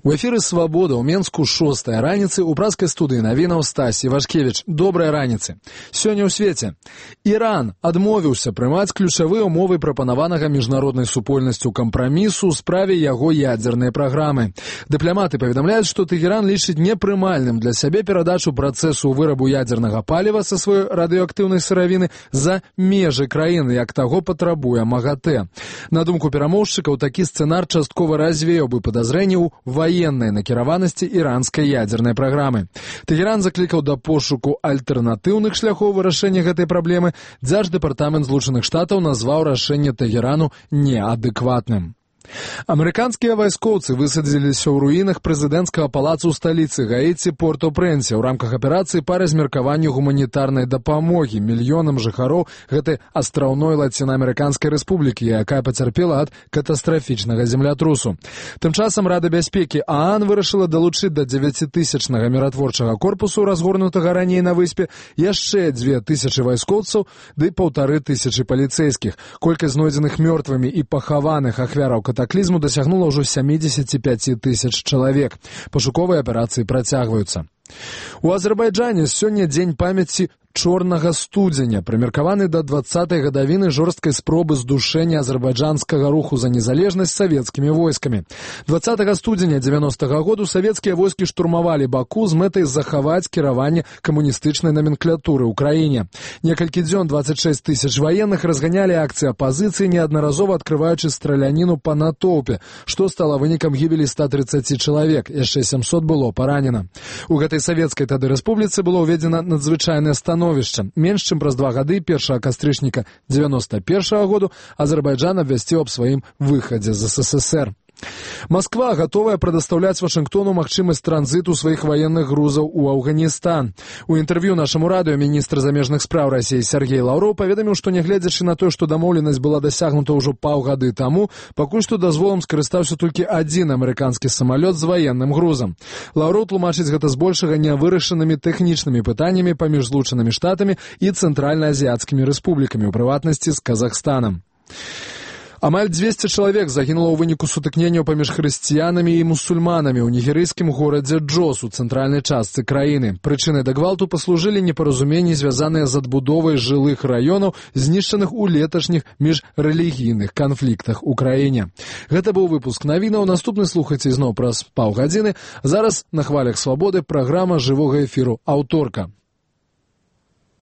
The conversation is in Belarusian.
У эфіры «Свабода» ў Менску 6-я раніцы ў празкай студыі навінаў Стась Івашкевіч. Добрай раніцы. Сёння ў свеце. Іран адмовіўся прымаць ключавыя ўмовы прапанаванага міжнароднай супольнасцю кампрамісу ў справе яго ядзернай праграмы. Дыпламаты паведамляюць, што Тэгеран лічыць непрымальным для сябе перадачу працэсу вырабу ядзернага паліва са сваёй радыеактыўнай сыравіны за межы краіны, як таго патрабуе МАГАТЭ. На думку перамоўшчыкаў, такі сцэнар часткова развеяў бы падазрэнні ў военной накіраванасці іранскай ядзернай праграмы. Тэгеран заклікаў да пошуку альтэрнатыўных шляхоў вырашэння гэтай праблемы. Дзярждэпартамент Злучаных Штатаў назваў рашэнне Тэгерану неадэкватным. Амерыканскія вайскоўцы высадзіліся ў руінах прэзідэнцкага палаца ў сталіцы Гаіці Порт-о-Прэнсе ў рамках аперацыі па размеркаванню гуманітарнай дапамогі мільёнам жыхароў гэтай астраўной лацінаамерыканскай рэспублікі, якая пацярпела ад катастрафічнага землятрусу. Тым часам Рада бяспекі ААН вырашыла далучыць да 9-тысячнага міратворчага корпусу, разгорнутага раней на выспе, яшчэ 2000 вайскоўцаў ды 1500 паліцэйскіх. Колькасць знойдзеных мёртвымі і пахаваных ахвяраў катаклізму дасягнула ўжо 75 тысяч чалавек. Пашуковыя аперацыі працягваюцца. У Азербайджане сёння дзень памяці чорнага студзеня, прымеркаваны да 20-й гадавіны жорсткай спробы здушэння азербайджанскага руху за незалежнасць савецкімі войскамі. 20 студзеня 90-го году савецкія войскі штурмавалі Баку з мэтай захаваць кіраванне камуністычнай номенклатуры ў краіне. Некалькі дзён 26 тысяч ваенных разганялі акцыі апазіцыі, неаднаразова адкрываючы страляніну па натоўпе, што стала вынікам гібелі 130 чалавек, яшчэ 700 было паранена. У гэтай савецкай тады рэспубліцы было ўведзена надзвычайнае становішча. Менш чым праз 2 гады, 1 кастрычніка 91-го году, Азербайджан абвясціў аб сваім выхадзе з СССР. Москва гатовая прадастаўляць Вашынгтону магчымасць транзіту сваіх ваенных грузаў у Афганістан. У інтэрв'ю нашаму радыё міністр замежных спраў Расіі Сергей Лаўроў паведаміў, што нягледзячы на тое, што дамоўленасць была дасягнута ўжо паўгады таму, пакуль што дазволам скарыстаўся толькі адзін амерыканскі самалёт з ваенным грузам. Лаўроў тлумачыць гэта збольшага нявырашанымі тэхнічнымі пытаннямі паміж Злучанымі Штатамі і цэнтральна-азіяцкімі рэспублікамі, у прыватнасці з Казахстанам. Амаль 200 чалавек загінула ў выніку сутыкненняў паміж хрысціянамі і мусульманамі ў нігерыйскім горадзе Джос у цэнтральнай частцы краіны. Прычынай да гвалту паслужылі непаразуменні, звязаныя з адбудовай жылых раёнаў, знішчаных у леташніх міжрэлігійных канфліктах у краіне. Гэта быў выпуск навінаў. Наступны слухайце зноў праз паўгадзіны. Зараз на хвалях Свабоды праграма жывога эфіру «Аўторка».